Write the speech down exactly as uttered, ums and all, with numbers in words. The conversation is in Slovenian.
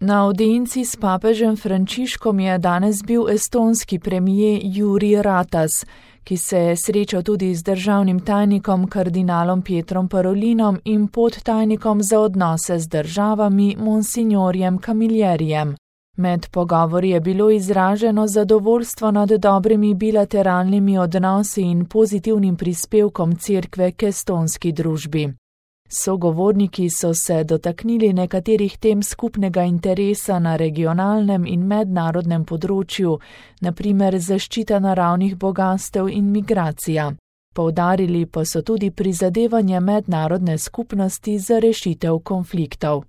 Na audienci s papežem Frančiškom je danes bil estonski premijer Jüri Ratas, ki se je srečal tudi z državnim tajnikom kardinalom Pietrom Parolinom in podtajnikom za odnose z državami monsignorjem Camillerijem. Med pogovori je bilo izraženo zadovoljstvo nad dobrimi bilateralnimi odnosi in pozitivnim prispevkom cerkve k estonski družbi. Sogovorniki so se dotaknili nekaterih tem skupnega interesa na regionalnem in mednarodnem področju, na primer zaščita naravnih bogastev in migracija. Poudarili pa so tudi prizadevanje mednarodne skupnosti za rešitev konfliktov.